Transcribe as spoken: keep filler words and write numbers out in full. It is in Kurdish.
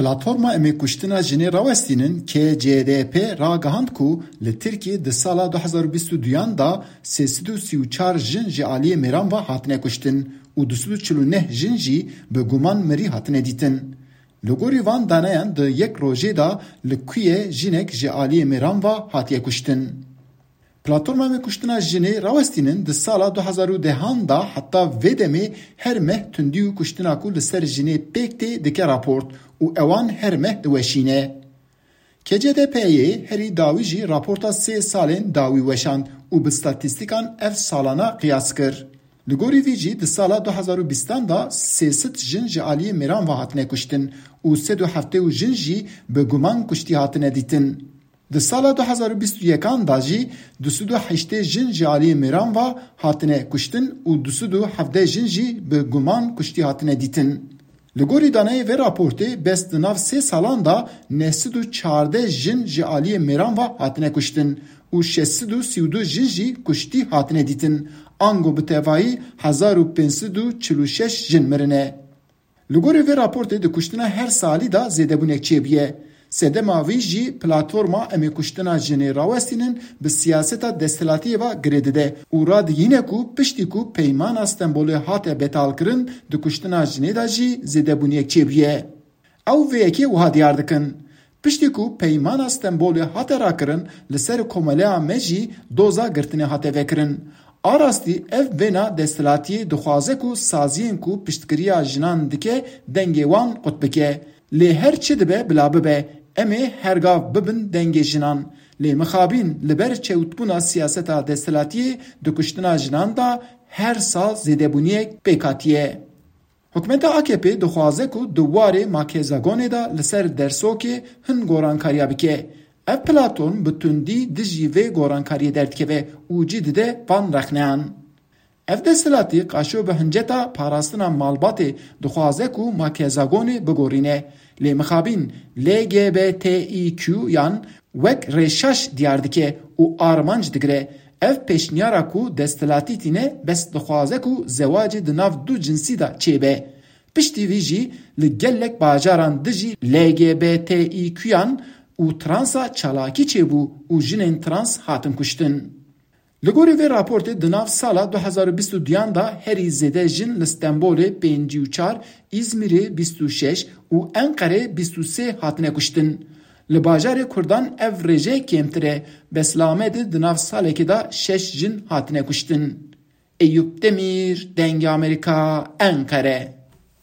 Platforma Em ê Kuştina Jinê Rawestînin, K C D P, ragihand ku li Tirkiyê di sala du hezar û bîst û duyan de sê sed û sî û çar jin ji aliyê mêran ve hatine kuştin û du sed û çil û neh jin jî bi guman mirî hatine dîtin. Li gorî van daneyan di yek rojê de li ku ye jinek ji aliyê mêran ve hatiye kuştin. Platforma Em ê Kuştina Jinê Rawestînin di sala du hezar û dehan de heta vê demê her meh tundî û kuştina ku li ser jinê pêk tê dike raport û ewan her meh diweşîne. K C D P'yê herî dawî jî raporta sê salên dawî weşand û bi statîstîkan ev salana qiyas kir. Li gorî vî jî di sala du hezar û bîstan de sê sed jin ji aliyê mêran ve hatine kuştin û sed û heftê û jin jî bi guman kuştî hatine dîtin. Di sala du hezar û bîst û yekan de jî du sed û heştê jin ji aliyê mêran ve hatine kuştin û du sed û hevdeh jin jî bi guman kuştî hatine dîtin. Li gorî daneyê vê raportê, bes di nav sê salan de neh sed û çardeh jin ji aliyê mêran ve hatine kuştin û şeş sed û sî û du jin jî kuştî hatine dîtin. Ango bi tevayî hezar û pênc sed û çil û şeş jin mirine. Li gorî vê raportê di kuştina her salî de zêdebûnek çêbûye. Sedema vî jî platforma Em ê Kuştina Jinê Rawestînin bi siyaseta desthilatiyê ve girê dide û radiyîne ku piştî ku Peymana Stenbolê hate betalkirin, di kuştina jinê de jî zêdebûniyek çêbûye. Ew vê yekê wiha diyar dikin: Piştî ku Peymana Stenbolê hate rakirin, li ser komeleya me jî doza girtinê hate vekirin. A rastî ev vêna desthilatiyê dixwaze ku saziyên ku piştgiriya jinan dike dengê wan qut bike. Lê her çi dibe bila bibe, em ê her gav bibin dengê jinan. Lê mixabîn li ber çewtbûna siyaseta desthilatiyê di kuştina jinan de her sal zêdebûniyek pêk hatiye. Hikûmeta A K P dixwaze ku di warê makezagonê de li ser dersokê hin gorankariya bike. Ev platform bi tundî dijî vê gorankariyê derdikeve û cî dide van rexneyan. Ev desthilatî qaşo bi hinceta parastina malbatê dixwaze ku makezagonê bigorîne. Lê mixabîn L G B T İ Q yan wek rêşaş diyar dike û armanc digire. Ev pêşniyara ku desthilatî tîne bes dixwaze ku zewacê di nav du cinsî de çêbe. Piştî vî jî li gelek bajaran dijî L G B T İ Q'yan û transa çalakî çêbû û jinên trans hatin kuştin. Li gorî vê raportê di nav sala du hezar û bîst û duyan de herî zêde jin li Stenbolê pêncî û çar, Îzmîrê bîst û şeş û Enqerê bîst û sê hatine kuştin. Li bajarê Kurdan ev rêje kêmtir e, bes li Amedê di nav salekê de şeş jin hatine kuştin. Eyûp Demîr, Dengê Amerîka, Enqere.